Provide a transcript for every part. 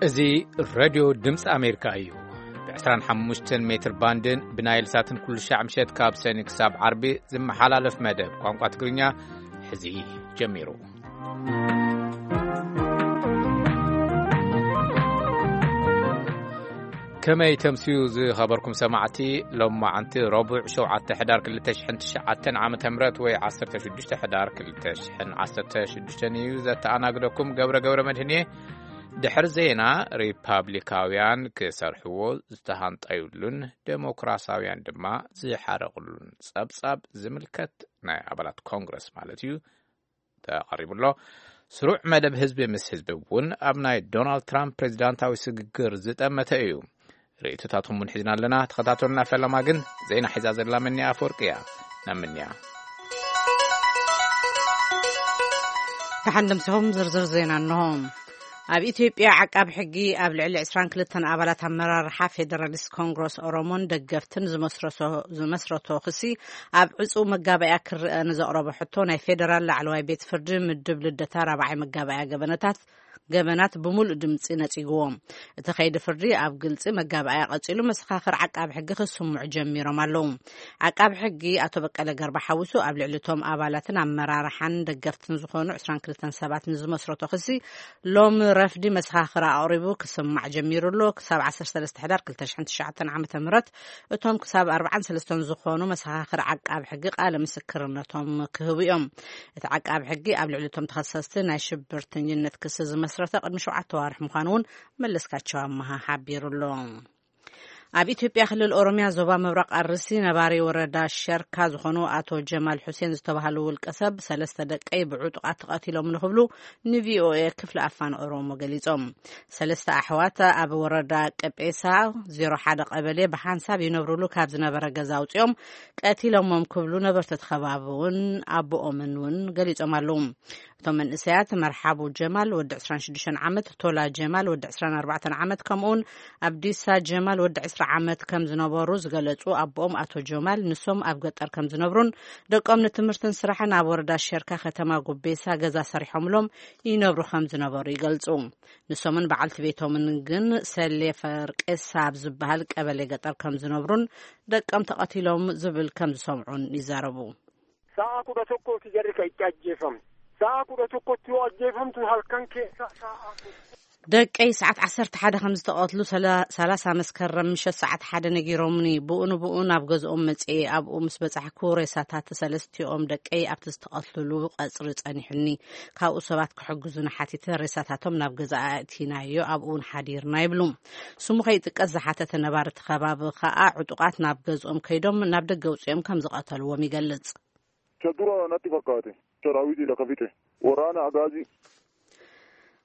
እዚ ሬድዮ ድምፂ ኣሜሪካ እዩ። ብ25 ሜትር ባንድን ብናይል ሳትን ኩሉ ሻዕ ምሸት ካብ ሰኒ ክሳብ ዓርቢ ዝመሓላለፍ መደብ ቋንቋ ትግርኛ ሕዚ ጀሚሩ። ከመይ ተምስዩ ዝኸበርኩም ሰማዕቲ፣ ሎማዓንቲ ረቡዕ ሸውዓተ ሕዳር ክልተ ሽሕን ትሽዓተን ዓመተ ምህረት ወይ ዓሰርተ ሽዱሽተ ሕዳር ክልተ ሽሕን ዓሰርተ ሽዱሽተን እዩ። ዘተኣናግደኩም ገብረ ገብረ መድህን እየ። ድሕሪ ዜና፣ ሪፓብሊካውያን ክሰርሕዎ ዝተሃንጠዩሉን ዴሞክራሳውያን ድማ ዝሓረቕሉን ጸብጻብ ዝምልከት ናይ ኣባላት ኮንግረስ ማለት እዩ ተቐሪቡ ኣሎ። ስሩዕ መደብ ህዝቢ ምስ ህዝቢ እውን ኣብ ናይ ዶናልድ ትራምፕ ፕሬዚዳንታዊ ስግግር ዝጠመተ እዩ። ርእይቶታትኩም እውን ሒዝና ኣለና። ተኸታተሉና። ፈለማ ግን ዜና ሒዛ ዘላ ምንያ ኣፈወርቂ እያ። ናብ ምንያ። ደሓን ደምሲኹም። ዝርዝር ዜና እንሆ። ኣብ ኢትዮጵያ ዓቃቢ ሕጊ ኣብ ልዕሊ ዕስራን ክልተን ኣባላት ኣመራርሓ ፌደራሊስት ኮንግረስ ኦሮሞን ደገፍትን ዝመስረቶ፣ ዝመስረቶ ክሲ ኣብ ዕጹው መጋባእያ ክረአ ንዘቕረቦ ሕቶ ናይ ፌደራል ላዕለዋይ ቤት ፍርዲ ምድብ ልደታ ራብዓይ መጋባእያ ገበነታት ገበናት ብምሉእ ድምጺ ነጺግዎ። እቲ ከይዲ ፍርዲ ኣብ ግልጺ መጋባእያ ቀጺሉ፣ መሰኻኽር ዓቃቢ ሕጊ ክስምዑ ጀሚሮም ኣለዉ። ዓቃቢ ሕጊ ኣቶ በቀለ ገርባ ሓዊሱ ኣብ ልዕሊ እቶም ኣባላትን ኣመራርሓን ደገፍትን ዝኾኑ ዕስራን ክልተን ሰባት ንዝመስረቶ ክሲ ሎሚ ረፍዲ መሰኻኽር ኣቕሪቡ ክስማዕ ጀሚሩ ኣሎ። ክሳብ ዓሰርተ ሰለስተ ሕዳር ክልተ ሽሕን ትሽዓተን ዓመተ ምህረት እቶም ክሳብ ኣርባዓን ሰለስተን ዝኾኑ መሰኻኽር ዓቃቢ ሕጊ ቃለ ምስክርነቶም ክህቡ እዮም። እቲ ዓቃቢ ሕጊ ኣብ ልዕሊ እቶም ተኸሰስቲ ናይ ሽብርተኝነት ክሲ ዝመስረተ ቅድሚ ሸውዓተ ዋርሕ ምዃኑ እውን መለስካቸው ኣመሃ ሓቢሩ ኣሎ። ኣብ ኢትዮጵያ ክልል ኦሮሚያ ዞባ ምብራቕ ኣርሲ ነባሪ ወረዳ ሸርካ ዝኾኑ ኣቶ ጀማል ሑሴን ዝተባህሉ ውልቀ ሰብ ሰለስተ ደቀይ ብዕጡቓት ተቐቲሎም ንክብሉ ንቪኦኤ ክፍሊ ኣፋን ኦሮሞ ገሊጾም። ሰለስተ ኣሕዋት ኣብ ወረዳ ቀጴሳ ዜሮ ሓደ ቀበሌ ብሓንሳብ ይነብሩሉ ካብ ዝነበረ ገዛ ኣውጺኦም ቀቲሎሞም ክብሉ ነበርቲ እቲ ከባቢ እውን ኣቦኦምን እውን ገሊጾም ኣለዉ። እቶም መንእሰያት መርሓቡ ጀማል ወዲ ዕስራን ሽዱሽተን ዓመት፣ ቶላ ጀማል ወዲ ዕስራን ኣርባዕተን ዓመት፣ ከምኡውን ኣብዲሳ ጀማል ወዲ ዕስራ ዓመት ከም ዝነበሩ ዝገለጹ ኣቦኦም ኣቶ ጀማል፣ ንሶም ኣብ ገጠር ከም ዝነብሩን ደቆም ንትምህርትን ስራሕን ኣብ ወረዳ ሸርካ ከተማ ጉቤሳ ገዛ ሰሪሖምሎም ይነብሩ ከም ዝነበሩ ይገልጹ። ንሶምን በዓልቲ ቤቶምን ግን ሰሌ ፈርቄሳ ኣብ ዝበሃል ቀበሌ ገጠር ከም ዝነብሩን ደቆም ተቐቲሎም ዝብል ከም ዝሰምዑን ይዛረቡ። Sa'a kudha tokkooti jarri kan itti ajjeefamte. Sa'a kudha tokkotti yoo ajjeefamtu halkan keessa sa'a afur. ደቀይ ሰዓት ዓሰርተ ሓደ ከም ዝተቐትሉ ሰላ-፣ ሰላሳ መስከረም ምሸት ሰዓት ሓደ ነጊሮምኒ። ብኡ ንብኡ ናብ ገዝኦም መጽኤ። ኣብኡ ምስ በጻሕኩ ሬሳታት ሰለስቲኦም ደቀይ ኣብቲ ዝተቐትልሉ ቀጽሪ ጸኒሑኒ። ካብኡ ሰባት ክሕግዙና ሓቲተ ሬሳታቶም ናብ ገዛ ኣእቲናዮ። ኣብኡ እውን ሓዲርና ይብሉ። ስሙ ከይጥቀስ ዝሓተተ ነባሪ እቲ ከባቢ ከኣ ዕጡቓት ናብ ገዝኦም ከይዶም ናብ ደገ ኣውጺኦም ከም ዝቐተልዎም ይገልጽ። Isa dura natti fakkaate. Saraawiti lafa fixe. Waraana Agaazii.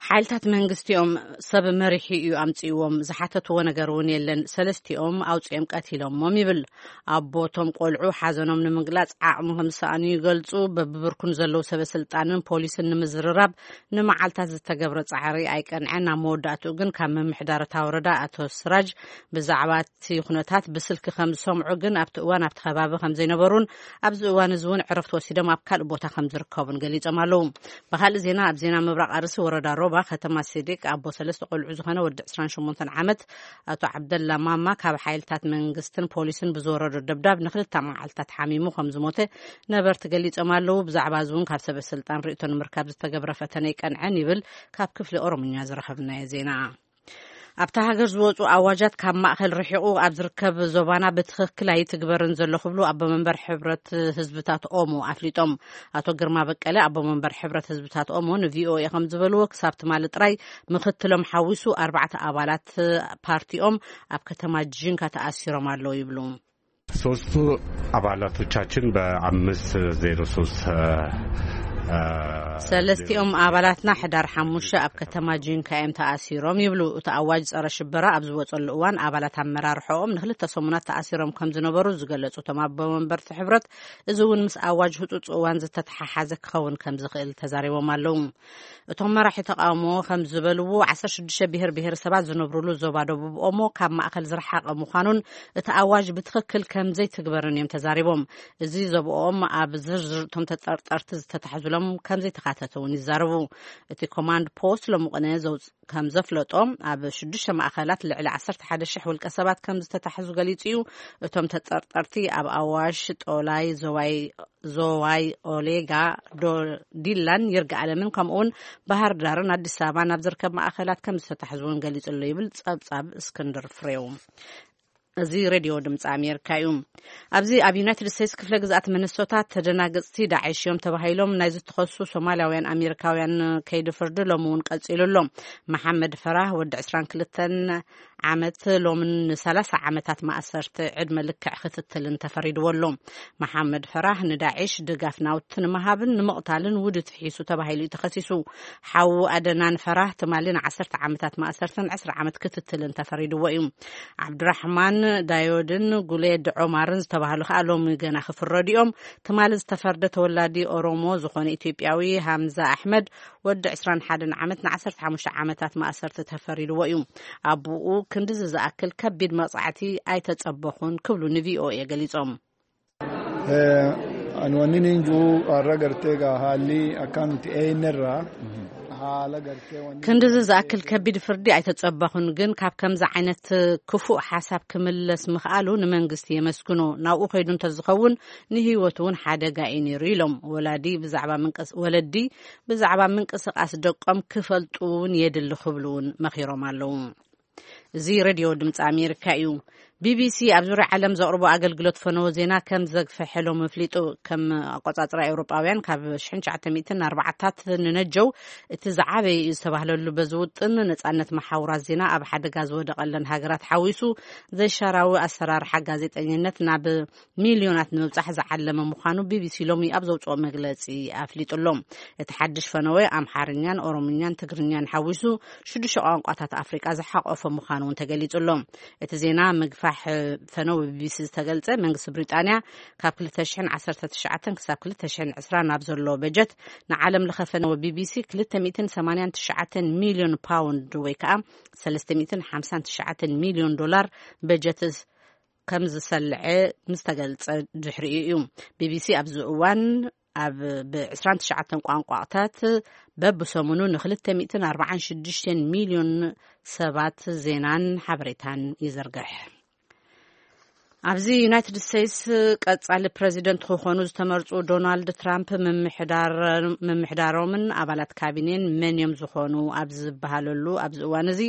ሓይልታት መንግስቲኦም ሰብ መሪሑ እዩ ኣምጺእዎም። ዝሓተትዎ ነገር እውን የለን። ሰለስቲኦም ኣውጺኦም ቀቲሎሞም ይብል። ኣቦ እቶም ቆልዑ ሓዘኖም ንምግላጽ ዓቕሚ ከም ዝሰኣኑ ይገልጹ። በብብርኩን ዘለዉ ሰበ ስልጣንን ፖሊስን ንምዝርራብ ንመዓልታት ዝተገብረ ጻዕሪ ኣይቀንዐን። ኣብ መወዳእትኡ ግን ካብ ምምሕዳር እታ ወረዳ ኣቶ ስራጅ ብዛዕባ እቲ ኩነታት ብስልኪ ከም ዝሰምዑ ግን ኣብቲ እዋን ኣብቲ ከባቢ ከም ዘይነበሩን ኣብዚ እዋን እዚ እውን ዕረፍቲ ወሲዶም ኣብ ካልእ ቦታ ከም ዝርከቡን ገሊጾም ኣለዉ። ብኻልእ ዜና፣ ኣብ ዜና ምብራቕ ኣርሲ ወረዳ ሮባ ከተማ ሲዲቅ ኣቦ ሰለስተ ቆልዑ ዝኾነ ወዲ ዕስራን ሸሞንተን ዓመት ኣቶ ዓብደላ ማማ ካብ ሓይልታት መንግስትን ፖሊስን ብዝወረዶ ደብዳብ ንክልተ መዓልታት ሓሚሙ ከም ዝሞተ ነበርቲ ገሊጾም ኣለዉ። ብዛዕባ እዚ እውን ካብ ሰበ ስልጣን ርእይቶ ንምርካብ ዝተገብረ ፈተነ ይቀንዐን ይብል ካብ ክፍሊ ኦሮምኛ ዝረኸብናዮ ዜና። ኣብታ ሃገር ዝወጹ ኣዋጃት ካብ ማእከል ርሒቑ ኣብ ዝርከብ ዞባና ብትኽክል ኣይትግበርን ዘሎ ክብሉ ኣቦ መንበር ሕብረት ህዝብታት ኦሞ ኣፍሊጦም። ኣቶ ግርማ በቀለ ኣቦ መንበር ሕብረት ህዝብታት ኦሞ ንቪኦኤ ከም ዝበልዎ፣ ክሳብ ትማሊ ጥራይ ምክትሎም ሓዊሱ ኣርባዕተ ኣባላት ፓርቲኦም ኣብ ከተማ ጂንካ ተኣሲሮም ኣለዉ ይብሉ። ሶስቱ አባላቶቻችን በአምስት ዜሮ ሶስት፣ እ፣ እ፣ ሰለስቲኦም ኣባላትና ሕዳር ሓሙሽተ ኣብ ከተማ ጂንካ እዮም ተኣሲሮም ይብሉ። እቲ ኣዋጅ ጸረ ሽበራ ኣብ ዝወጸሉ እዋን ኣባላት ኣመራርሖኦም ንክልተ ሰሙናት ተኣሲሮም ከም ዝነበሩ ዝገለጹ እቶም ኣቦ መንበርቲ ሕብረት፣ እዚ እውን ምስ ኣዋጅ ህጹጽ እዋን ዝተተሓሓዘ ክኸውን ከም ዝኽእል ተዛሪቦም ኣለዉ። እቶም መራሒ ተቃውሞ ከም ዝበልዎ፣ ዓሰርተ ሽዱሽተ ብሄር ብሄረሰባት ዝነብሩሉ ዞባ ደቡብ ኦሞ ካብ ማእከል ዝረሓቐ ምዃኑን እቲ ኣዋጅ ብትኽክል ከም ዘይትግበርን እዮም ተዛሪቦም። እዚ ዞባኦም ኣብ ዝርዝር እቶም ተጠርጠርቲ ዝተታሕዙሎም ከም ዘይተኻተተ እውን ይዛረቡ። እቲ ኮማንድ ፖስት ሎሚ ቅነ ዘውፅ ከም ዘፍለጦ፣ ኣብ ሽዱሽተ ማእኸላት ልዕሊ ዓሰርተ ሓደ ሽሕ ውልቀ ሰባት ከም ዝተታሕዙ ገሊጹ እዩ። እቶም ተጠርጠርቲ ኣብ ኣዋሽ፣ ጦላይ፣ ዞዋይ ዞዋይ፣ ኦሌጋ፣ ዶ ዲላን ይርጋ ኣለምን ከምኡውን ባህር ዳርን ኣዲስ ኣበባን ኣብ ዝርከብ ማእኸላት ከም ዝተታሕዙ እውን ገሊጹ ኣሎ ይብል ጸብጻብ እስክንድር ፍሬው። እዚ ሬድዮ ድምፂ ኣሜሪካ እዩ። ኣብዚ ኣብ ዩናይትድ ስቴትስ ክፍለ ግዝኣት ሚኒሶታ ተደናገፅቲ ዳዕሽ እዮም ተባሂሎም ናይ ዝተኸሱ ሶማልያውያን ኣሜሪካውያን ከይዲ ፍርዲ ሎሚ እውን ቀፂሉ ኣሎ። መሓመድ ፈራህ ወዲ ዕስራን ክልተን ዓመት ሎምን ንሰላሳ ዓመታት ማእሰርቲ ዕድመ ልክዕ ክትትልን ተፈሪድዎ ኣሎ። መሓመድ ፈራህ ንዳዒሽ ድጋፍ ናውቲ ንምሃብን ንምቕታልን ውድት ሒሱ ተባሂሉ እዩ ተኸሲሱ። ሓዉ ኣደናን ፈራህ ትማሊ ንዓሰርተ ዓመታት ማእሰርትን ዕስራ ዓመት ክትትልን ተፈሪድዎ እዩ። ዓብዱራሕማን ዳዮድን ጉሌድ ዖማርን ዝተባህሉ ከኣ ሎሚ ገና ክፍረዱ እዮም። ትማሊ ዝተፈርደ ተወላዲ ኦሮሞ ዝኾነ ኢትዮጵያዊ ሃምዛ ኣሕመድ ወዲ ዕስራን ሓደን ዓመት ንዓሰርተ ሓሙሽተ ዓመታት ማእሰርቲ ተፈሪድዎ እዩ። ኣቡኡ ክንድዚ ዝኣክል ከቢድ መቕጻዕቲ ኣይተጸበኹን ክብሉ ንቪኦኤ ገሊጾም። Ani wanni ninju arra gartee gaa haalli akkaan nuti eeynerra haala gartee wanni ክንድዚ ዝኣክል ከቢድ ፍርዲ ኣይተጸበኹን፣ ግን ካብ ከምዚ ዓይነት ክፉእ ሓሳብ ክምለስ ምኽኣሉ ንመንግስቲ የመስግኖ። ናብኡ ከይዱ እንተዝኸውን ንህይወቱ እውን ሓደጋ እዩ ነይሩ ኢሎም። ወላዲ ብዛዕባ ምንቅስ- ወለዲ ብዛዕባ ምንቅስቃስ ደቆም ክፈልጡ እውን የድሊ ክብሉ እውን መኺሮም ኣለዉ። እዚ ሬድዮ ድምፂ ኣሜሪካ እዩ። ቢቢሲ ኣብ ዙርያ ዓለም ዘቕርቦ ኣገልግሎት ፈነወ ዜና ከም ዘግፈሐሎም ኣፍሊጡ። ከም ኣቆጻጽራ ኤውሮጳውያን ካብ ሽሕን ትሽዓተ ሚእትን ኣርባዓታት ንነጀው እቲ ዝዓበየ እዩ ዝተባህለሉ በዚ ውጥን ነጻነት መሓውራት ዜና ኣብ ሓደጋ ዝወደቐለን ሃገራት ሓዊሱ ዘይሻራዊ ኣሰራርሓ ጋዜጠኝነት ናብ ሚልዮናት ንምብጻሕ ዝዓለመ ምዃኑ ቢቢሲ ሎሚ ኣብ ዘውጽኦ መግለጺ ኣፍሊጡ ኣሎ። እቲ ሓድሽ ፈነወ ኣምሓርኛን ኦሮምኛን ትግርኛን ሓዊሱ ሽዱሽተ ቋንቋታት ኣፍሪቃ ዝሓቆፈ ምዃኑ እውን ተገሊጹ ኣሎ። እቲ ዜና ምግፋሕ ፈነው ቢቢሲ ዝተገልጸ መንግስቲ ብሪጣንያ ካብ ክልተ ሽሕን ዓሰርተ ትሽዓተን ክሳብ ክልተ ሽሕን ዕስራን ናብ ዘሎ በጀት ንዓለም ለኸ ፈነው ቢቢሲ ክልተ ሚእትን ሰማንያን ትሽዓተን ሚልዮን ፓውንድ ወይ ከዓ ሰለስተ ሚእትን ሓምሳን ትሽዓተን ሚልዮን ዶላር በጀት ከም ዝሰልዐ ምስ ተገልጸ ድሕሪኡ እዩ። ቢቢሲ ኣብዚ እዋን ኣብ ብ ዕስራን ትሽዓተን ቋንቋታት በብሰሙኑ ን ክልተ ሚእትን ኣርባዓን ሽዱሽተን ሚልዮን ሰባት ዜናን ሓበሬታን ይዝርግሕ። ኣብዚ ዩናይትድ ስቴትስ ቀጻሊ ፕረዚደንት ክኾኑ ዝተመርጹ ዶናልድ ትራምፕ ምምሕዳር- ምምሕዳሮምን ኣባላት ካቢኔን መን እዮም ዝኾኑ ኣብ ዝበሃለሉ ኣብዚ እዋን እዚ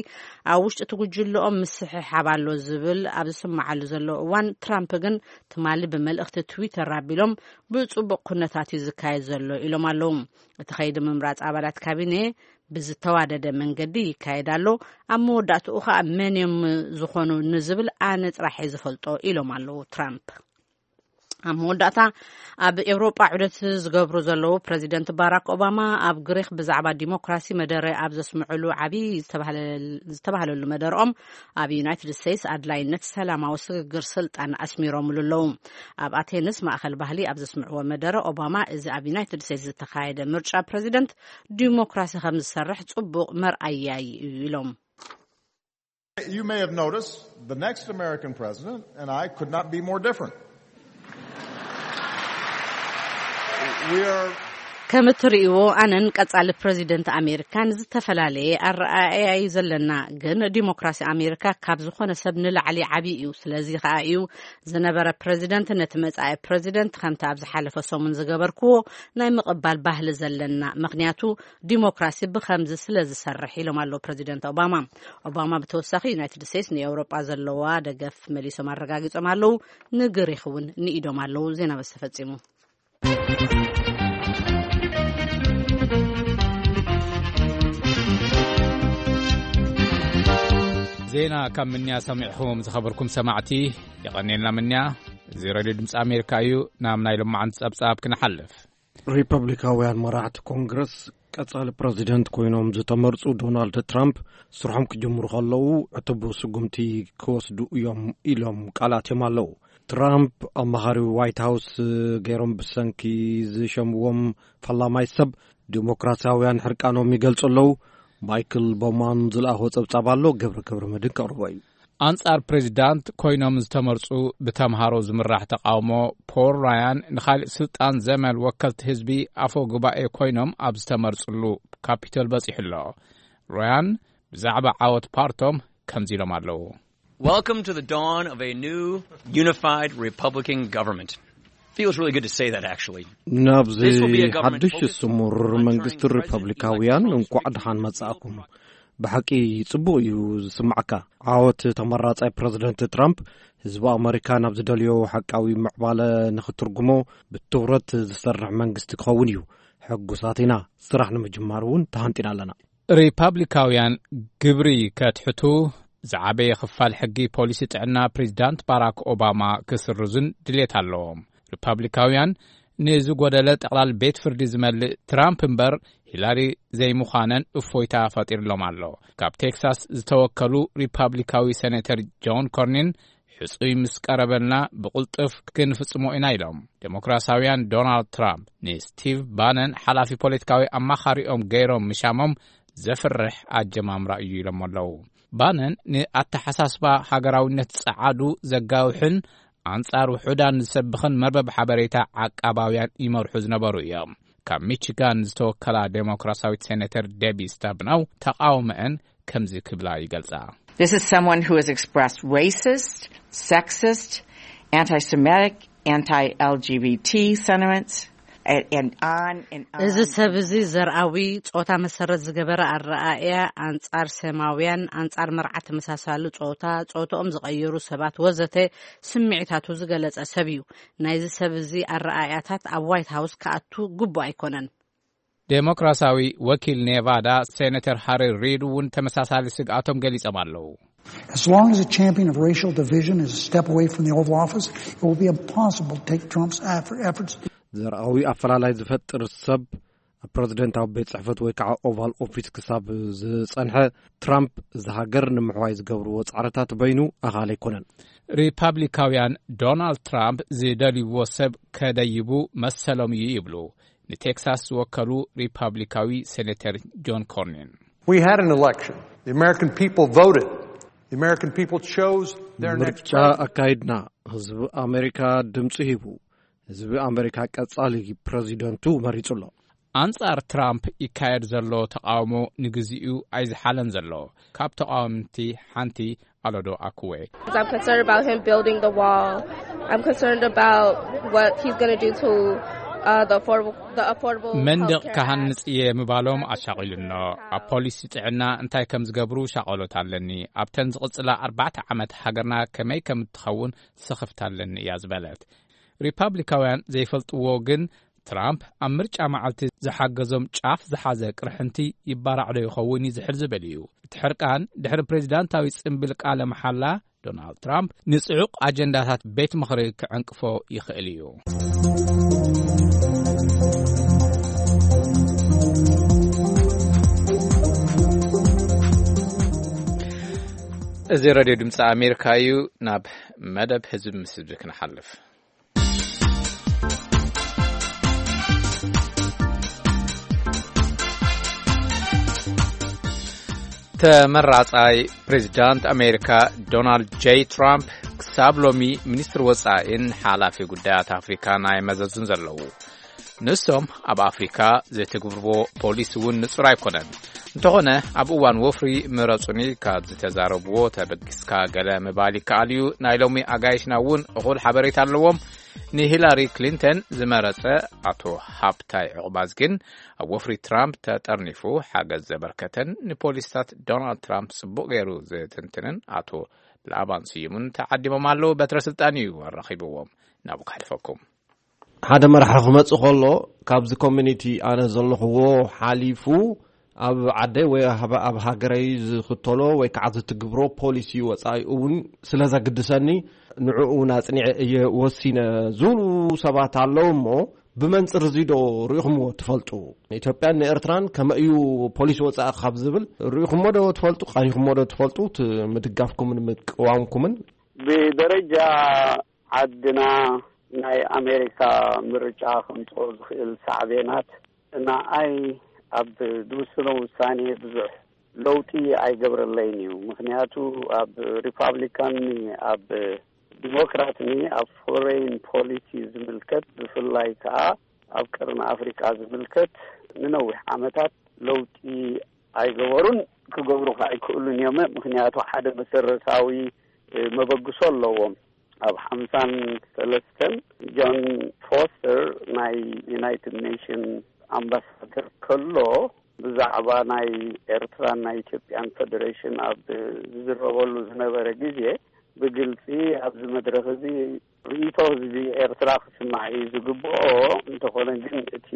ኣብ ውሽጢ እቲ ጉጅለኦም ምስሕሓብ ኣሎ ዝብል ኣብ ዝስማዓሉ ዘሎ እዋን፣ ትራምፕ ግን ትማሊ ብመልእኽቲ ትዊተር ኣቢሎም ብጽቡቕ ኩነታት እዩ ዝካየድ ዘሎ ኢሎም ኣለዉ። እቲ ከይዲ ምምራጽ ኣባላት ካቢኔ ብዝተዋደደ መንገዲ ይካየድ ኣሎ። ኣብ መወዳእትኡ ከኣ መን እዮም ዝኾኑ ንዝብል ኣነ ጥራሕ እየ ዝፈልጦ ኢሎም ኣለዉ ትራምፕ። ኣብ መወዳእታ ኣብ ኤውሮጳ ዑደት ዝገብሩ ዘለዉ ፕረዚደንት ባራክ ኦባማ ኣብ ግሪክ ብዛዕባ ዲሞክራሲ መደረ ኣብ ዘስምዕሉ ዓብዪ ዝተባህለሉ መደርኦም ኣብ ዩናይትድ ስቴትስ ኣድላይነት ሰላማዊ ስግግር ስልጣን ኣስሚሮምሉ ኣለዉ። ኣብ ኣቴንስ ማእኸል ባህሊ ኣብ ዘስምዕዎ መደረ ኦባማ እዚ ኣብ ዩናይትድ ስቴትስ ዝተኻየደ ምርጫ ፕረዚደንት ዲሞክራሲ ከም ዝሰርሕ ጽቡቕ መርኣያ እዩ ኢሎም። You may have noticed the next American president and I could not be more different. We are ከም እትርእይዎ ኣነን ቀጻሊ ፕረዚደንት ኣሜሪካን ዝተፈላለየ ኣረኣእያ እዩ ዘለና፣ ግን ዲሞክራሲ ኣሜሪካ ካብ ዝኾነ ሰብ ንላዕሊ ዓብዪ እዩ። ስለዚ ከኣ እዩ ዝነበረ ፕረዚደንት ነቲ መጻኢ ፕረዚደንት ከምቲ ኣብ ዝሓለፈ ሰሙን ዝገበርክዎ ናይ ምቕባል ባህሊ ዘለና፣ ምኽንያቱ ዲሞክራሲ ብኸምዚ ስለ ዝሰርሕ ኢሎም ኣለዉ ፕረዚደንት ኦባማ። ኦባማ ብተወሳኺ ዩናይትድ ስቴትስ ንኤውሮጳ ዘለዋ ደገፍ መሊሶም ኣረጋጊጾም ኣለዉ። ንግሪክ እውን ንኢዶም ኣለዉ። ዜና በስ ተፈጺሙ። ዜና ካብ ምንያ ሰሚዕኹም ዝኸበርኩም ሰማዕቲ የቐኔልና ምንያ። እዚ ሬድዮ ድምፂ ኣሜሪካ እዩ። ናብ ናይ ሎማዓንቲ ጸብጻብ ክንሓልፍ። ሪፐብሊካውያን መራሕቲ ኮንግረስ ቀጻሊ ፕረዚደንት ኮይኖም ዝተመርጹ ዶናልድ ትራምፕ ስርሖም ክጅምሩ ከለዉ ዕቱብ ስጉምቲ ክወስዱ እዮም ኢሎም ቃላት እዮም ኣለዉ። ትራምፕ ኣማኻሪ ዋይት ሃውስ ገይሮም ብሰንኪ ዝሸምዎም ፈላማይ ሰብ ዲሞክራሲያውያን ሕርቃኖም ይገልጹ ኣለዉ። ማይክል ቦማን ዝለኣኾ ጸብጻብ ኣሎ። ገብረ ገብረ መድን ከቕርቦ እዩ። ኣንጻር ፕሬዚዳንት ኮይኖም ዝተመርጹ ብተምሃሮ ዝምራሕ ተቃውሞ፣ ፖል ራያን ንኻልእ ስልጣን ዘመል ወከልቲ ህዝቢ ኣፈ ጉባኤ ኮይኖም ኣብ ዝተመርጽሉ ካፒቶል በጺሑ ኣሎ። ራያን ብዛዕባ ዓወት ፓርቶም ከምዚ ኢሎም ኣለዉ። Welcome to the dawn of a new unified Republican government. Feels really good to say that, actually. ናብዚ ሓድሽ ስሙር መንግስቲ ሪፐብሊካውያን እንኳዕ ደሓን መጻእኩም። ብሓቂ ጽቡቕ እዩ ዝስማዕካ። ዓወት ተመራጻይ ፕረዚደንት ትራምፕ ህዝቢ ኣመሪካ ናብ ዝደልዮ ሓቃዊ ምዕባለ ንኽትርጉሞ ብትኹረት ዝሰርሕ መንግስቲ ክኸውን እዩ። ሕጉሳት ኢና። ስራሕ ንምጅማር እውን ተሃንጢና ኣለና። ሪፓብሊካውያን ግብሪ ከትሕቱ፣ ዝዓበየ ክፋል ሕጊ ፖሊሲ ጥዕና ፕሬዚዳንት ባራክ ኦባማ ክስርዙን ድሌት ኣለዎም። ሪፓብሊካውያን ንዝጎደለ ጠቕላል ቤት ፍርዲ ዝመልእ ትራምፕ እምበር ሂላሪ ዘይምዃነን እፎይታ ፈጢርሎም ኣሎ። ካብ ቴክሳስ ዝተወከሉ ሪፓብሊካዊ ሴኔተር ጆን ኮርኒን፣ ሕጹይ ምስ ቀረበልና ብቕልጡፍ ክንፍጽሞ ኢና ኢሎም። ዴሞክራሲያውያን ዶናልድ ትራምፕ ንስቲቭ ባነን ሓላፊ ፖለቲካዊ ኣማኻሪኦም ገይሮም ምሻሞም ዘፍርሕ ኣጀማምራ እዩ ኢሎም ኣለዉ። ባነን ንኣተሓሳስባ ሃገራዊነት ጸዓዱ ዘጋውሕን ኣንጻር ውሑዳን ዝሰብኽን መርበብ ሓበሬታ ዓቃባውያን ይመርሑ ዝነበሩ እዮም። ካብ ሚቺጋን ዝተወከላ ዴሞክራሲያዊት ሴኔተር ዴቢ ስታብናው ተቃውመአን ከምዚ ክብላ ይገልጻ። This is someone who has expressed racist, sexist, anti-Semitic, anti-L G B T sentiments, and, and on and on. እዚ ሰብ እዚ ዘርኣዊ፣ ጾታ መሰረት ዝገበረ ኣረኣእያ፣ ኣንጻር ሰማውያን፣ ኣንጻር መርዓ ተመሳሳሊ ጾታ፣ ጾታኦም ዝቐየሩ ሰባት ወዘተ ስምዒታቱ ዝገለጸ ሰብ እዩ። ናይዚ ሰብ እዚ ኣረኣእያታት ኣብ ዋይት ሃውስ ክኣቱ ግቡእ ኣይኮነን። ዴሞክራሲያዊ ወኪል ኔቫዳ ሴኔተር ሃሪ ሪድ እውን ተመሳሳሊ ስግኣቶም ገሊጾም ኣለዉ። As long as a champion of racial division is a step away from the Oval Office, it will be impossible to take Trump's eff- efforts. ዘርኣዊ ኣፈላላይ ዝፈጥር ሰብ ኣብ ፕረዚደንታዊ ቤት ጽሕፈት ወይ ከዓ ኦቫል ኦፊስ ክሳብ ዝጸንሐ፣ ትራምፕ እዚ ሃገር ንምሕዋይ ዝገብርዎ ጻዕርታት በይኑ ኣኻሊ ኣይኮነን። ሪፓብሊካውያን ዶናልድ ትራምፕ ዝደልይዎ ሰብ ከደይቡ መሰሎም እዩ ይብሉ ንቴክሳስ ዝወከሉ ሪፓብሊካዊ ሴኔተር ጆን ኮርኒን። We had an election. The American people voted. The American people chose their next ምርጫ president. ኣካይድና። ህዝቢ ኣሜሪካ ድምፂ ሂቡ። ህዝቢ ኣሜሪካ ቀጻሊ ፕረዚደንቱ መሪጹ ኣሎ። ኣንጻር ትራምፕ ይካየድ ዘሎ ተቃውሞ ንግዚኡ ኣይዝሓለን ዘሎ። ካብ ተቃወምቲ ሓንቲ ኣሎዶ ኣኩዌ። I'm concerned about him building the wall. I'm concerned about what he's going to do to uh, the affordable, the affordable መንደቕ healthcare ክሃንጽ እየ ምባሎም ኣሻቒሉኖ። ኣብ ፖሊሲ ጥዕና እንታይ ከም ዝገብሩ ሻቐሎት ኣለኒ። ኣብተን ዝቕጽላ ኣርባዕተ ዓመት ሃገርና ከመይ ከም እትኸውን ስኽፍታ ኣለኒ እያ ዝበለት። ሪፓብሊካውያን ዘይፈልጥዎ ግን ትራምፕ ኣብ ምርጫ መዓልቲ ዝሓገዞም ጫፍ ዝሓዘ ቅርሕንቲ ይባራዕ ዶ ይኸውን እዩ ዝሕል ዝብል እዩ። እቲ ሕርቃን ድሕሪ ፕሬዚዳንታዊ ጽምብል ቃለ መሓላ ዶናልድ ትራምፕ ንጽዑቕ ኣጀንዳታት ቤት ምኽሪ ክዕንቅፎ ይኽእል እዩ። እዚ ሬድዮ ድምፂ ኣሜሪካ እዩ። ናብ መደብ ህዝቢ ምስ ህዝቢ ክንሓልፍ። ተመራጻይ ፕሬዚዳንት ኣሜሪካ ዶናልድ ጄይ ትራምፕ ክሳብ ሎሚ ሚኒስትሪ ወጻኢን ሓላፊ ጉዳያት ኣፍሪካን ኣይመዘዙን ዘለዉ። ንሶም ኣብ ኣፍሪካ ዘተግብርዎ ፖሊሲ እውን ንጹር ኣይኮነን። እንተኾነ ኣብ እዋን ወፍሪ ምረጹኒ ካብ ዝተዛረብዎ ተበጊስካ ገለ ምባል ይከኣል እዩ። ናይ ሎሚ ኣጋይሽና እውን እኹል ሓበሬታ ኣለዎም። ንሂላሪ ክሊንተን ዝመረጸ ኣቶ ሃብታይ ዕቑባዝ ግን ኣብ ወፍሪ ትራምፕ ተጠርኒፉ ሓገዝ ዘበርከተን ንፖሊስታት ዶናልድ ትራምፕ ጽቡቕ ገይሩ ዝትንትንን ኣቶ ላባን ስዩምን ተዓዲሞም ኣለዉ። በትረ ስልጣን እዩ ኣራኺብዎም። ናብኡ ከሕልፈኩም። ሓደ መራሒ ክመጽእ ከሎ ካብዚ ኮሚኒቲ ኣነ ዘለኽዎ ሓሊፉ ኣብ ዓደይ ወይ ኣብ ኣብ ሃገረይ ዝኽተሎ ወይ ከዓ ዝትግብሮ ፖሊሲ ወጻኢ እውን ስለ ዘግድሰኒ ንዕኡ እውን ኣጽኒዐ እየ ወሲነ ዝብሉ ሰባት ኣለዉ። እሞ ብመንጽር እዚ ዶ ርኢኹምዎ ትፈልጡ? ንኢትዮጵያን ንኤርትራን ከመይ እዩ ፖሊሲ ወጻኢ ካብ ዝብል ርኢኹሞ ዶ ትፈልጡ? ቃኒኹሞ ዶ ትፈልጡ? እቲ ምድጋፍኩምን ምቅዋምኩምን? ብደረጃ ዓድና ናይ ኣሜሪካ ምርጫ ከምጽኦ ዝኽእል ሳዕቤናት ንኣይ ኣብ ዝውስኖ ውሳኔ ብዙሕ ለውጢ ኣይገብረለይን እዩ። ምክንያቱ ኣብ ሪፓብሊካን ኣብ ዲሞክራትን ኣብ ፎሬን ፖሊሲ ዝምልከት፣ ብፍላይ ከዓ ኣብ ቀርኒ ኣፍሪካ ዝምልከት፣ ንነዊሕ ዓመታት ለውጢ ኣይገበሩን፣ ክገብሩ ከዓ ኣይክእሉን እዮም። ምክንያቱ ሓደ መሰረታዊ መበግሶ ኣለዎም። ኣብ ሓምሳን ሰለስተን ጆን ፎስተር ናይ ዩናይትድ ኔሽን ኣምባሳደር ከሎ፣ ብዛዕባ ናይ ኤርትራን ናይ ኢትዮጵያን ፌደሬሽን ኣብ ዝዝረበሉ ዝነበረ ግዜ፣ ብግልጺ ኣብዚ መድረኽ እዚ ርእይቶ ህዝቢ ኤርትራ ክስማዕ እዩ ዝግብኦ። እንተኾነ ግን እቲ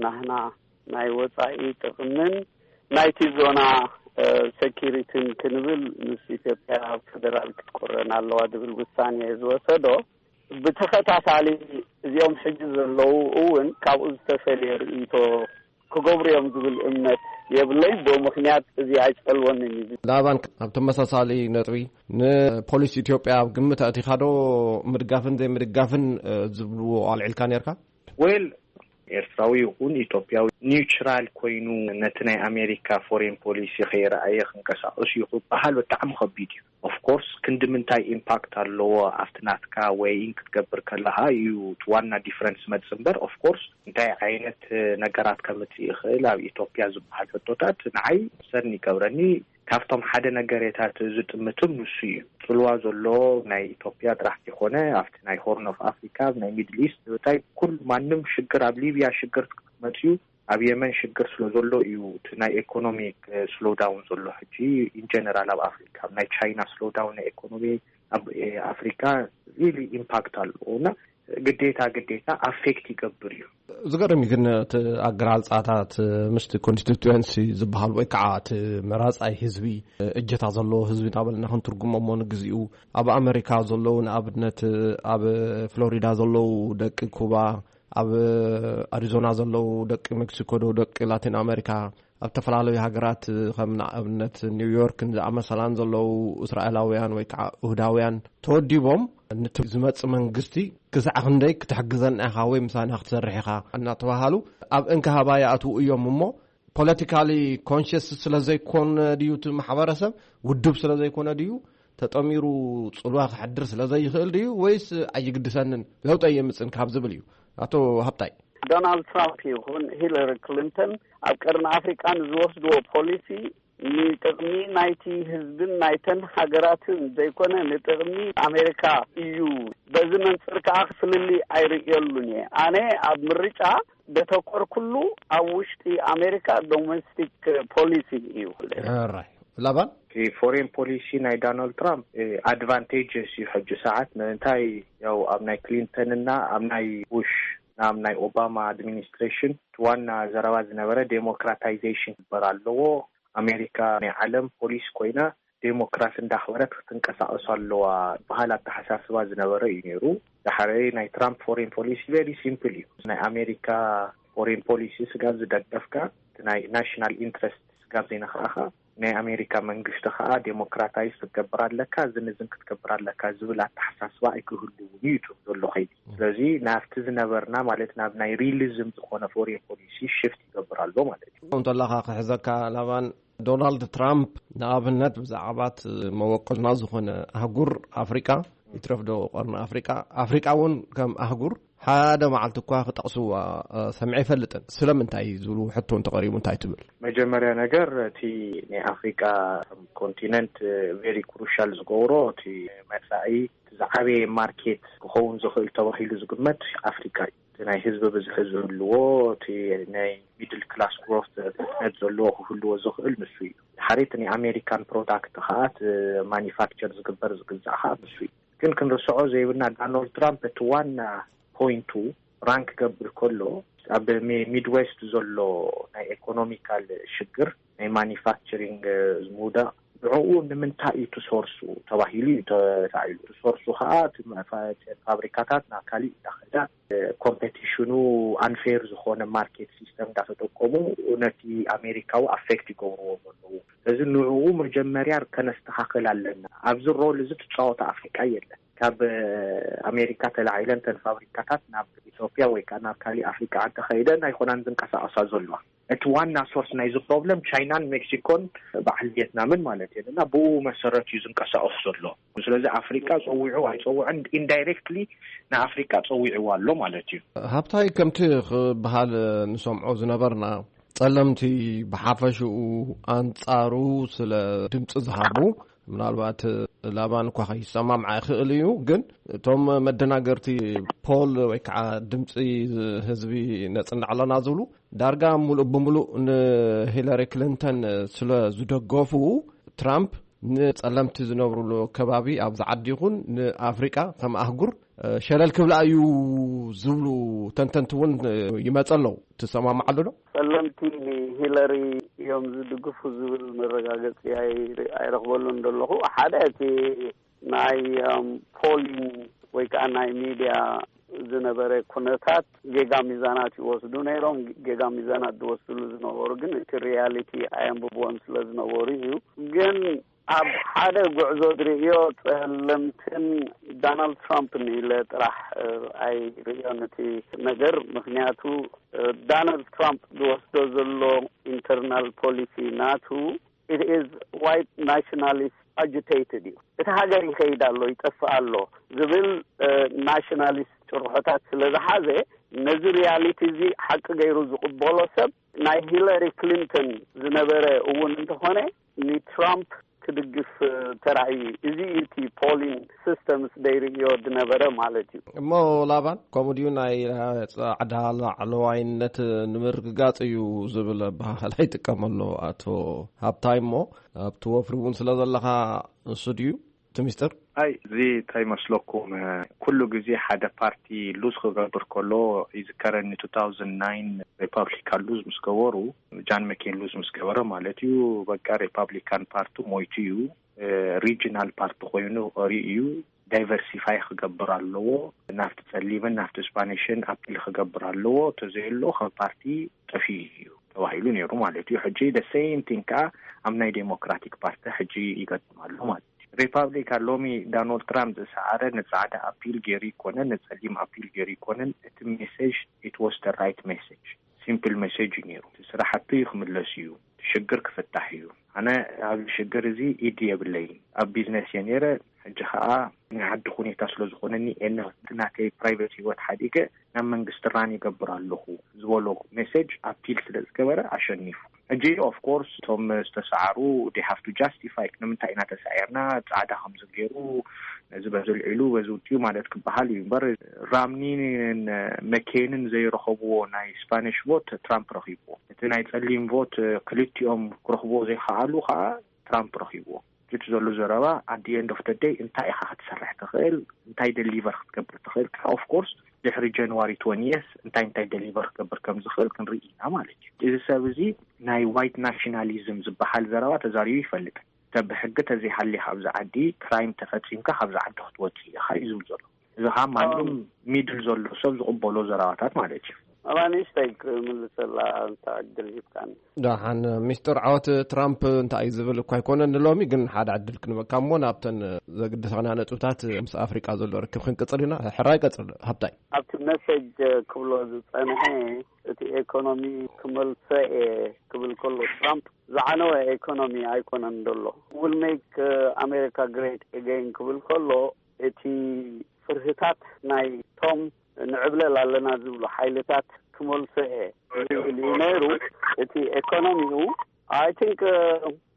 ናህና ናይ ወጻኢ ጥቕምን ናይቲ ዞና ሰኪሪቲን ክንብል፣ ምስ ኢትዮጵያ ኣብ ፌደራል ክትቆረን ኣለዋ ዝብል ውሳኔ ዝወሰዶ፣ ብተኸታታሊ እዚኦም ሕጂ ዘለዉ እውን ካብኡ ዝተፈልየ ርእይቶ ክገብሩ እዮም ዝብል እምነት የብለይን። ብኡ ምክንያት እዚ ኣይጸልወንን እዩ። ላባን፣ ኣብ ተመሳሳሊ ነጥቢ፣ ንፖሊሲ ኢትዮጵያ ኣብ ግምት ኣእቲኻዶ? ምድጋፍን ዘይምድጋፍን ዝብልዎ ኣልዒልካ ነርካ? ወል ኤርትራዊ ይኹን ኢትዮጵያዊ ኒውትራል ኮይኑ ነቲ ናይ ኣሜሪካ ፎሬን ፖሊሲ ከይረኣየ ክንቀሳቀስ እዩ ክበሃል ብጣዕሚ ከቢድ እዩ። ኦፍኮርስ ክንዲ ምንታይ ኢምፓክት ኣለዎ ኣብቲ ናትካ ወይን ክትገብር ከለካ እዩ እቲ ዋና ዲፍረንስ መጽ እምበር፣ ኦፍኮርስ እንታይ ዓይነት ነገራት ከምጽእ ይኽእል ኣብ ኢትዮጵያ ዝበሃል ሕቶታት ንዓይ ሰኒ ይገብረኒ። ካብቶም ሓደ ነገሬታት ዝጥምትም ንሱ እዩ። ጽልዋ ዘሎ ናይ ኢትዮጵያ ጥራሕ ይኮነ ኣብቲ ናይ ሆርን ኦፍ ኣፍሪካ፣ ናይ ሚድል ኢስት፣ እንታይ ኩሉ ማንም ሽግር ኣብ ሊቢያ ሽግር መጽዩ ኣብ የመን ሽግር ስለ ዘሎ እዩ እቲ ናይ ኤኮኖሚክ ስሎዳውን ዘሎ። ሕጂ ኢንጀነራል ኣብ ኣፍሪካ ናይ ቻይና ስሎዳውን ናይ ኤኮኖሚ ኣብ ኣፍሪካ ሪሊ ኢምፓክት ኣለዎ እና ግዴታ ግዴታ ኣፌክት ይገብር እዩ። ዝገርም እዩ ግን እቲ ኣገላልፃታት ምስቲ ኮንስቲትዌንሲ ዝበሃል ወይ ከዓ እቲ መራፃይ ህዝቢ እጀታ ዘለዎ ህዝቢ እናበልና ክንትርጉሞ እሞ ንግዚኡ ኣብ ኣመሪካ ዘለዉ ንኣብነት ኣብ ፍሎሪዳ ዘለዉ ደቂ ኩባ ኣብ ኣሪዞና ዘለዉ ደቂ ሜክሲኮ ዶ ደቂ ላቲን ኣመሪካ ኣብ ዝተፈላለዩ ሃገራት ከም ንኣብነት ኒውዮርክን ዝኣመሰላን ዘለዉ እስራኤላውያን ወይ ከዓ እሁዳውያን ተወዲቦም ነቲ ዝመጽእ መንግስቲ ክሳዕ ክንደይ ክትሕግዘና ኢኻ ወይ ምሳና ክትሰርሕ ኢኻ እናተባሃሉ ኣብ እንክሃባ ይኣትዉ እዮም እሞ ፖለቲካሊ ኮንሽስ ስለ ዘይኮነ ድዩ እቲ ማሕበረሰብ ውድብ ስለ ዘይኮነ ድዩ ተጠሚሩ ጽልዋ ክሕድር ስለ ዘይኽእል ድዩ ወይስ ኣይግድሰንን ለውጢ የምጽን ካብ ዝብል እዩ ኣቶ ሃብታይ? ዶናልድ ትራምፕ ይኹን ሂለሪ ክሊንተን ኣብ ቀርኒ ኣፍሪቃ ንዝወስድዎ ፖሊሲ ንጥቕሚ ናይቲ ህዝብን ናይተን ሃገራትን ዘይኮነ ንጥቕሚ ኣሜሪካ እዩ። በዚ መንፅር ከዓ ፍልልይ ኣይርእየሉን እየ። ኣነ ኣብ ምርጫ ደተኮርኩሉ ኣብ ውሽጢ ኣሜሪካ ዶሜስቲክ ፖሊሲ እዩ። ሕራይ ላባን እቲ ፎሬን ፖሊሲ ናይ ዶናልድ ትራምፕ ኣድቫንቴጅስ እዩ። ሕጂ ሰዓት ንምንታይ ያው ኣብ ናይ ክሊንተንና ኣብ ናይ ቡሽ ናብ ናይ ኦባማ ኣድሚኒስትሬሽን እቲ ዋና ዘረባ ዝነበረ ዴሞክራታይዜሽን ክግበር ኣለዎ። ኣሜሪካ ናይ ዓለም ፖሊስ ኮይና ዴሞክራሲ እንዳኽበረት ክትንቀሳቀሱ ኣለዋ ዝበሃል ኣተሓሳስባ ዝነበረ እዩ ነይሩ። ዳሕራይ ናይ ትራምፕ ፎሬን ፖሊሲ ቨሪ ሲምፕል እዩ። ናይ ኣሜሪካ ፎሬን ፖሊሲ ስጋብ ዝደገፍካ እቲ ናይ ናሽናል ኢንትረስት ስጋብ ዘይነካእካ ናይ ኣሜሪካ መንግስቲ ከዓ ዴሞክራታይዝ ክትገብር ኣለካ፣ ዝንዝን ክትገብር ኣለካ ዝብል ኣተሓሳስባ ኣይክህልውን እዩ እቱ ዘሎ ከይዲ። ስለዚ ናብቲ ዝነበርና ማለት ናብ ናይ ሪሊዝም ዝኾነ ፎሬን ፖሊሲ ሽፍት ይገብር ኣሎ ማለት እዩ። እንተለካ ክሕዘካ ላባን ዶናልድ ትራምፕ ንኣብነት ብዛዕባት መበቆልና ዝኾነ ኣህጉር ኣፍሪቃ ይትረፍዶ ቀርኒ ኣፍሪቃ ኣፍሪቃ እውን ከም ኣህጉር ሓደ መዓልቲ እኳ ክጠቕስዋ ሰምዐ ይፈልጥን ስለምንታይ ዝብሉ ሕቶ እንተቐሪቡ እንታይ ትብል? መጀመርያ ነገር እቲ ናይ ኣፍሪቃ ኮንቲነንት ቬሪ ክሩሻል ዝገብሮ እቲ መፃኢ ዝዓበየ ማርኬት ክኸውን ዝኽእል ተባሂሉ ዝግመት ኣፍሪቃ እዩ። እቲ ናይ ህዝቢ ብዝሒ ዝህልዎ እቲ ናይ ሚድል ክላስ ግሮት ፍጥነት ዘለዎ ክህልዎ ዝኽእል ንሱ እዩ። ሓደ እቲ ናይ ኣሜሪካን ፕሮዳክት ከዓ እቲ ማኒፋክቸር ዝግበር ዝግዛእ ከዓ ንሱ እዩ። ግን ክንርስዖ ዘይብልና ዳናልድ ትራምፕ እቲ ዋና ፖይንቱ ራን ክገብር ከሎ ኣብ ሚድዌስት ዘሎ ናይ ኤኮኖሚካል ሽግር ናይ ማኒፋክቸሪንግ ምውዳቕ ብዕኡ ንምንታይ እዩ ትሶርሱ ተባሂሉ እዩ ተታዒሉ። ትሶርሱ ከዓ ፋብሪካታት ናብ ካሊእ እንዳኸዳ ኮምፔቲሽኑ ኣንፌር ዝኾነ ማርኬት ሲስተም እንዳተጠቀሙ ነቲ ኣሜሪካዊ ኣፌክት ይገብርዎ ዘለዉ። ስለዚ ንዕኡ መጀመርያ ከነስተኻኽል ኣለና። ኣብዚ ሮል እዚ ትፃወተ ኣፍሪቃ የለን። ካብ ኣሜሪካ ተላዒለን ተን ፋብሪካታት ናብ ኢትዮጵያ ወይ ከዓ ናብ ካሊእ ኣፍሪካ እንተኸይደን ኣይኮናን ዝንቀሳቐሳ ዘለዋ። እቲ ዋና ሶርስ ናይዚ ፕሮብለም ቻይናን ሜክሲኮን በዓል ቪየትናምን ማለት እዩ። እና ብኡ መሰረት እዩ ዝንቀሳቐስ ዘሎ። ስለዚ ኣፍሪካ ፀዊዑ ኣይፀውዕን ኢንዳይሬክትሊ ንኣፍሪካ ፀዊዕዋ ኣሎ ማለት እዩ። ሃብታይ፣ ከምቲ ክበሃል ንሰምዖ ዝነበርና፣ ጸለምቲ ብሓፈሽኡ ኣንጻሩ ስለ ድምፂ ዝሃቡ፣ ምናልባት ላባን እኳ ከይሰማምዓ ይኽእል እዩ፣ ግን እቶም መደናገርቲ ፖል ወይ ከዓ ድምፂ ህዝቢ ነፅንዕ ኣለና ዝብሉ ዳርጋ ሙሉእ ብምሉእ ንሂለሪ ክሊንተን ስለ ዝደገፉ፣ ትራምፕ ንጸለምቲ ዝነብሩሉ ከባቢ ኣብዚ ዓዲ ይኹን ንኣፍሪቃ ከም ኣህጉር ሸለል ክብላ እዩ ዝብሉ ተንተንቲ እውን ይመፀ ኣለዉ። ትሰማማዓሉ ዶ? ጸለምቲ ንሂለሪ እዮም ዝድግፉ ዝብል መረጋገፂ ኣይረኽበሉን ዘለኹ። ሓደ እቲ ናይ ፖሊን ወይ ከዓ ናይ ሚድያ ዝነበረ ኩነታት ጌጋ ሚዛናት ይወስዱ ነይሮም። ጌጋ ሚዛናት ዝወስድሉ ዝነበሩ ግን እቲ ሪያሊቲ ኣየንብብዎን ስለ ዝነበሩ እዩ። ግን ኣብ ሓደ ጉዕዞ ዝርእዮ ጸለምትን ዶናልድ ትራምፕን ኢለ ጥራሕ ኣይርእዮን እቲ ነገር። ምክንያቱ ዶናልድ ትራምፕ ዝወስዶ ዘሎ ኢንተርናል ፖሊሲ ናቱ it is white nationalist agitated እዩ። እቲ ሃገር ይኸይድ ኣሎ፣ ይጠፍእ ኣሎ ዝብል ናሽናሊስት ጭርሖታት ስለ ዝሓዘ፣ ነዚ ሪያሊቲ እዚ ሓቂ ገይሩ ዝቕበሎ ሰብ ናይ ሂለሪ ክሊንተን ዝነበረ እውን እንተኾነ ንትራምፕ ክድግፍ ተራእዩ። እዚ እዩ እቲ ፖሊን ሲስተምስ ደይርእዮ ዝነበረ ማለት እዩ። እሞ ላባን ከምኡ ድዩ? ናይ ጻዕዳ ላዕለዋይነት ንምርግጋጽ እዩ ዝብል ኣበሃህላ ይጥቀመሉ ኣቶ ሃብታይ። እሞ ኣብቲ ወፍሪ እውን ስለ ዘለኻ ንሱ ድዩ እቲ ሚስጥር? ኣይ፣ እዚ እንታይ መስለኩም፣ ኩሉ ግዜ ሓደ ፓርቲ ሉዝ ክገብር ከሎ ይዝከረኒ። two thousand nine ሪፐብሊካን ሉዝ ምስ ገበሩ፣ ጃን መኬን ሉዝ ምስ ገበረ ማለት እዩ፣ በቃ ሪፐብሊካን ፓርቲ ሞይቱ እዩ፣ ሪጂናል ፓርቲ ኮይኑ ሪኡ እዩ። ዳይቨርሲፋይ ክገብር ኣለዎ፣ ናብቲ ጸሊምን ናብቲ ስፓኒሽን ኣፒል ክገብር ኣለዎ፣ ተዘየሎ ከም ፓርቲ ጠፊኡ እዩ ተባሂሉ ነይሩ ማለት እዩ። ሕጂ the same thing ከዓ ኣብ ናይ ዴሞክራቲክ ፓርቲ ሕጂ ይገጥም ኣሎ ማለት እዩ። ሪፓብሊካን ሎሚ ዳናልድ ትራምፕ ዝሰዓረ ንጻዕዳ ኣፒል ገይሩ ይኮነን ንጸሊም ኣፒል ገይሩ ይኮነን፣ እቲ ሜሴጅ it was the right message፣ ሲምፕል ሜሴጅ እዩ ነይሩ። እቲ ስራሕቱ ክምለስ እዩ፣ እቲ ሽግር ክፍታሕ እዩ። ኣነ ኣብዚ ሽግር እዚ ኢድ የብለይን። ኣብ ቢዝነስ እየ ነይረ፣ ሕጂ ከዓ ናይ ዓዲ ሁኔታ ስለ ዝኾነኒ ኤነ ናተይ ፕራይቬት ህይወት ሓዲገ ናብ መንግስቲ ራን ይገብር ኣለኹ ዝበሎ ሜሴጅ ኣፒል ስለ ዝገበረ ኣሸኒፉ። ሕጂ ኦፍኮርስ እቶም ዝተሰዓሩ they have to justify፣ ንምንታይ ኢና ተሳዒርና፣ ጻዕዳ ከምዚ ገይሩ፣ ነዚ በዚ ልዒሉ በዚ ውፅኡ ማለት ክበሃል እዩ እምበር፣ ራምኒን መኬንን ዘይረኸብዎ ናይ ስፓኒሽ ቮት ትራምፕ ረኺብዎ። እቲ ናይ ጸሊም ቮት ክልቲኦም ክረኽብዎ ዘይከኣሉ ከዓ ትራምፕ ረኺብዎ። እቲ ዘሎ ዘረባ at the end of the day እንታይ ኢኻ ክትሰርሕ ትኽእል፣ እንታይ ደሊቨር ክትገብር ትኽእል ከዓ ኦፍኮርስ ድሕሪ ጃንዋሪ ትወንቲ እንታይ እንታይ ደሊቨር ክገብር ከም ዝኽእል ክንርኢ ኢና ማለት እዩ። እዚ ሰብ እዚ ናይ ዋይት ናሽናሊዝም ዝበሃል ዘረባ ተዛሪቡ ይፈልጥ። ብሕጊ ተዘይሃልኻ ኣብዚ ዓዲ፣ ክራይም ተፈፂምካ ካብዚ ዓዲ ክትወፅእ ኢኻ እዩ ዝብል ዘሎ። እዚ ከዓ ማንም ሚድል ዘሎ ሰብ ዝቕበሎ ዘረባታት ማለት እዩ። ኣባ ንእሽተይ ክምልሰላ እንተ ዕድል ሂብካኒ። ደሓን፣ ሚስጥር ዓወት ትራምፕ እንታይ እዩ ዝብል እኳ ኣይኮነን ንሎሚ፣ ግን ሓደ ዕድል ክንበካ እሞ ናብተን ዘግድሰና ነጥብታት ምስ ኣፍሪቃ ዘሎ ርክብ ክንቅጽል ኢና። ሕራይ ቀጽል ሃብታይ። ኣብቲ መሰጅ ክብሎ ዝጸንሐ እቲ ኤኮኖሚ ክመልሶ እየ ክብል ከሎ ትራምፕ ዝዓነወ ኤኮኖሚ ኣይኮነን ዘሎ። Will make America great again ክብል ከሎ እቲ ፍርህታት ናይ ቶም ንዕብለል ኣለና ዝብሉ ሓይልታት ክመልሶ እየ ዝብል እዩ ነይሩ። እቲ ኤኮኖሚኡ I think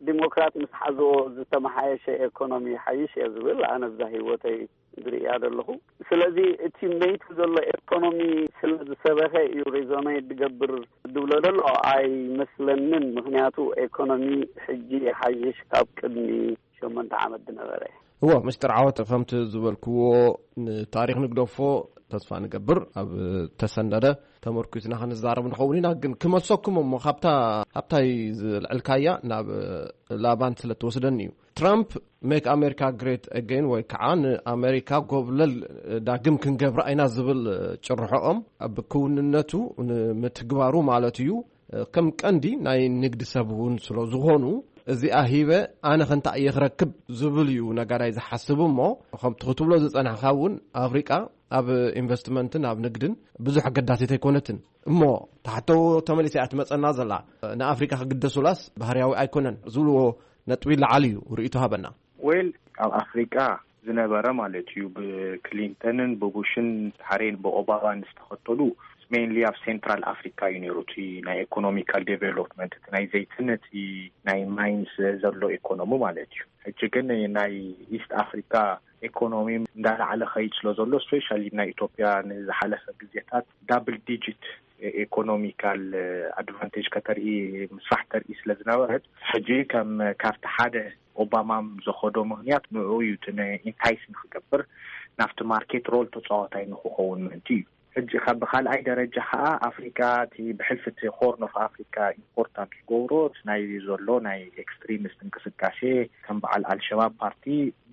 ዲሞክራት ምስ ሓዝኦ ዝተመሓየሸ ኤኮኖሚ ሓይሽ እየ ዝብል ኣነ ብዛ ህይወተይ ዝርእያ ዘለኹ። ስለዚ እቲ መይቱ ዘሎ ኤኮኖሚ ስለ ዝሰበኸ እዩ ሬዞኔት ዝገብር ዝብሎ ዘሎ ኣይመስለንን። ምክንያቱ ኤኮኖሚ ሕጂ ይሓይሽ ካብ ቅድሚ ሸሞንተ ዓመት ዝነበረ። እዎ፣ ምስጢር ዓወት ከምቲ ዝበልክዎ ንታሪኽ ንግደፎ። ተስፋ ንገብር ኣብ ተሰነደ ተመርኩስና ክንዛረብ ንኸውን ኢና። ግን ክመልሰኩም እሞ ካብታ ሃብታይ ዝልዕልካያ ናብ ላባን ስለ ትወስደኒ እዩ። ትራምፕ ሜክ ኣሜሪካ ግሬት ኣገይን ወይ ከዓ ንኣሜሪካ ጎብለል ዳግም ክንገብራ ኢና ዝብል ጭርሖኦም ኣብ ክውንነቱ ንምትግባሩ ማለት እዩ። ከም ቀንዲ ናይ ንግዲ ሰብ እውን ስለ ዝኾኑ እዚኣ ሂበ ኣነ ከንታ እየ ክረክብ ዝብል እዩ ነጋዳይ ዝሓስብ። እሞ ከምቲ ክትብሎ ዝጸናሕካ እውን ኣፍሪቃ ኣብ ኢንቨስትመንትን ኣብ ንግድን ብዙሕ ኣገዳሲት ኣይኮነትን። እሞ ተሓቶ ተመሊሰ እያ ትመጸና ዘላ። ንኣፍሪቃ ክግደሱላስ ባህርያዊ ኣይኮነን ዝብልዎ ነጥቢ ለዓሊ እዩ። ርእይቶ ሃበና። ዌል ኣብ ኣፍሪቃ ዝነበረ ማለት እዩ፣ ብክሊንተንን ብቡሽን ድሓሬን ብኦባማን ዝተኸተሉ፣ ሜይንሊ ኣብ ሴንትራል ኣፍሪካ እዩ ነይሩ እቲ ናይ ኢኮኖሚካል ዴቨሎፕመንት፣ እቲ ናይ ዘይትን እቲ ናይ ማይንስ ዘሎ ኢኮኖሚ ማለት እዩ። ሕጂ ግን ናይ ኢስት ኣፍሪካ ኢኮኖሚ እንዳላዕለ ኸይድ ስለ ዘሎ፣ ስፔሻሊ ናይ ኢትዮጵያ ንዝሓለፈ ግዜታት ዳብል ዲጂት ኢኮኖሚካል ኣድቫንቴጅ ከተርኢ፣ ምስራሕ ተርኢ ስለ ዝነበረት፣ ሕጂ ከም ካብቲ ሓደ ኦባማ ዝኸዶ ምኽንያት ንኡ እዩ፣ እቲ ኢንታይስ ንክገብር፣ ናብቲ ማርኬት ሮል ተፃዋታይ ንክኸውን ምእንቲ እዩ። ሕጂ ካብ ብካልኣይ ደረጃ ከዓ ኣፍሪካ እቲ ብሕልፊ እቲ ሆርን ኦፍ ኣፍሪካ ኢምፖርታንት ዝገብሮ እቲ ናይ ዘሎ ናይ ኤክስትሪሚስት እንቅስቃሴ ከም በዓል ኣልሸባብ ፓርቲ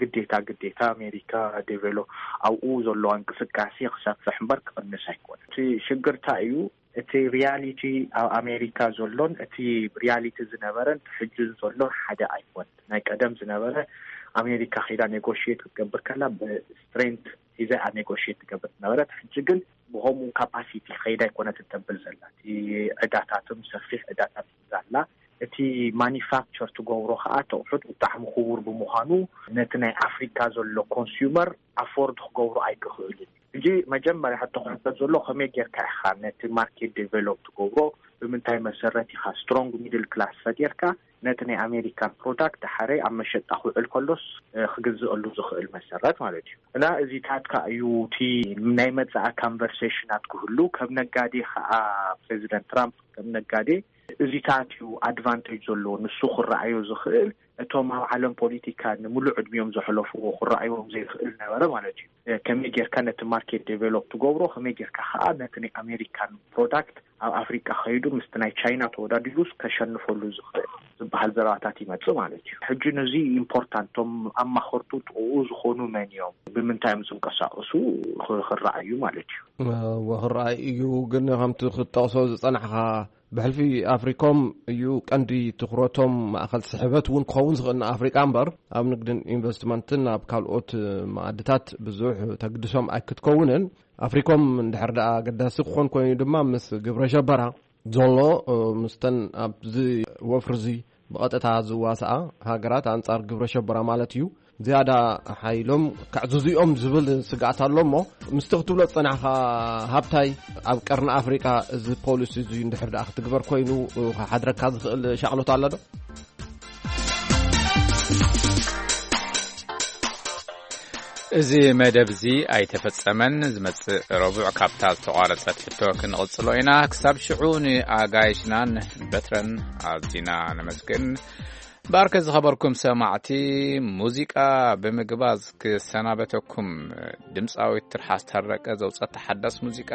ግዴታ ግዴታ ኣሜሪካ ዴቨሎፕ ኣብኡ ዘለዋ እንቅስቃሴ ክሰፍሕ እምበር ክቕንስ ኣይኮነ። እቲ ሽግርታ እዩ እቲ ሪያሊቲ ኣብ ኣሜሪካ ዘሎን እቲ ሪያሊቲ ዝነበረን ሕጂ ዘሎን ሓደ ኣይኮን። ናይ ቀደም ዝነበረ ኣሜሪካ ኸይዳ ኔጎሽት ክትገብር ከላ ብስትሬንት ሒዛ እያ ኔጎሽት ትገብር ዝነበረት። ሕጂ ግን ብኸምኡ ካፓሲቲ ኸይዳ ኣይኮነትን ተብል ዘላ። እቲ ዕዳታትም ሰፊሕ ዕዳታት ሒዛ ኣላ። እቲ ማኒፋክቸር ትገብሮ ከዓ ተቑሑት ብጣዕሚ ክቡር ብምዃኑ ነቲ ናይ ኣፍሪካ ዘሎ ኮንሱመር ኣፎርድ ክገብሮ ኣይክኽእልን። ሕጂ መጀመርያ ሕቶ ክሕተት ዘሎ ከመይ ጌርካ ኢኻ ነቲ ማርኬት ዴቨሎፕ ትገብሮ? ብምንታይ መሰረት ኢኻ ስትሮንግ ሚድል ክላስ ፈጢርካ ነቲ ናይ ኣሜሪካን ፕሮዳክት ድሓረይ ኣብ መሸጣ ክውዕል ከሎስ ክግዝእሉ ዝኽእል መሰረት ማለት እዩ። እና እዚታት ከዓ እዩ እቲ ናይ መፃኢ ካንቨርሴሽናት ክህሉ። ከም ነጋዴ ከዓ ፕሬዚደንት ትራምፕ ከም ነጋዴ እዚታት እዩ ኣድቫንቴጅ ዘለዎ ንሱ ክረኣዮ ዝኽእል። እቶም ኣብ ዓለም ፖለቲካ ንምሉእ ዕድሚኦም ዘሕለፍዎ ክረኣይዎም ዘይኽእል ነበረ ማለት እዩ። ከመይ ጌርካ ነቲ ማርኬት ዴቨሎፕ ትገብሮ፣ ከመይ ጌርካ ከዓ ነቲ ናይ ኣሜሪካን ፕሮዳክት ኣብ ኣፍሪቃ ከይዱ ምስቲ ናይ ቻይና ተወዳዲሩስ ከሸንፈሉ ዝኽእል ዝበሃል ዘረባታት ይመጽእ ማለት እዩ። ሕጂ ነዚ ኢምፖርታንት፣ እቶም ኣማኸርቱ ጥቕኡ ዝኾኑ መን እዮም፣ ብምንታይ እዮም ዝንቀሳቐሱ ክረኣዩ ማለት እዩ። ክረኣይ እዩ። ግን ከምቲ ክትጠቕሶ ዝጸናሕካ ብሕልፊ ኣፍሪኮም እዩ ቀንዲ ትኹረቶም፣ ማእኸል ስሕበት እውን ክኸውን ዝኽእል ንኣፍሪቃ እምበር ኣብ ንግድን ኢንቨስትመንትን ኣብ ካልኦት ማኣድታት ብዙሕ ተግድሶም ኣይክትከውንን። ኣፍሪኮም እንድሕር ደኣ ኣገዳሲ ክኾን ኮይኑ ድማ ምስ ግብረ ሸበራ ዘሎ፣ ምስተን ኣብዚ ወፍሪ እዚ ብቐጥታ ዝዋስኣ ሃገራት ኣንጻር ግብረ ሸበራ ማለት እዩ ዝያዳ ሓይሎም ከዕዝዙ እዮም ዝብል ስግኣት ኣሎ። እሞ ምስቲ ክትብሎ ዝጸናሕካ ሃብታይ፣ ኣብ ቀርኒ ኣፍሪቃ እዚ ፖሊሲ እዚ እንድሕር ደኣ ክትግበር ኮይኑ ክሓድረካ ዝኽእል ሻቕሎት ኣሎ ዶ? እዚ መደብ እዚ ኣይተፈጸመን። ዝመጽእ ረቡዕ ካብታ ዝተቋረጸት ሕቶ ክንቕጽሎ ኢና። ክሳብ ሽዑ ንኣጋይሽናን በትረን ኣዚና ነመስግን። ባርከ ዝኸበርኩም ሰማዕቲ፣ ሙዚቃ ብምግባዝ ክሰናበተኩም፣ ድምፃዊት ትርሓስ ታረቀ ዘውፀት ሓዳስ ሙዚቃ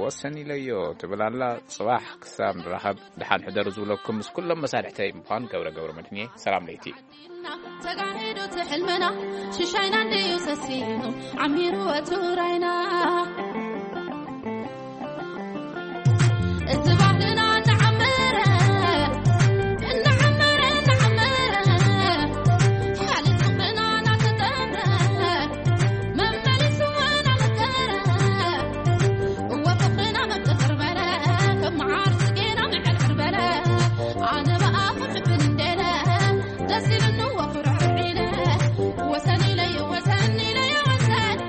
ወሰን ኢለዮ ትብል ኣላ። ጽባሕ ክሳብ ንራኸብ ደሓን ሕደሩ ዝብለኩም ምስ ኩሎም መሳርሕተይ ምዃን ገብረ ገብረ መድህን እየ። ሰላም ለይቲ። ተጋሂዱ እቲ ሕልምና ሽሻይና እንድዩ ሰሲኑ ዓሚሩ እቲ ውራይና። እዚ ባህልና እናዓመረ፣ እናዓመረ፣ እናዓመረ፣ ሓልቲ ጽንዕና እናተጠምረ፣ መመሊሱ እናመከረ፣ እወ ፍቕርና መጥጥር በለ፣ ከም መዓር ጽጌና ምዕርዕር በለ፣ ኣነ ብኣኹም ሕፍን እንዴለ፣ ደስ ኢሉኒ እወ ኩርዕር ኢለ፣ ወሰን ኢለዮ፣ ወሰን ኢለዮ፣ ወሰን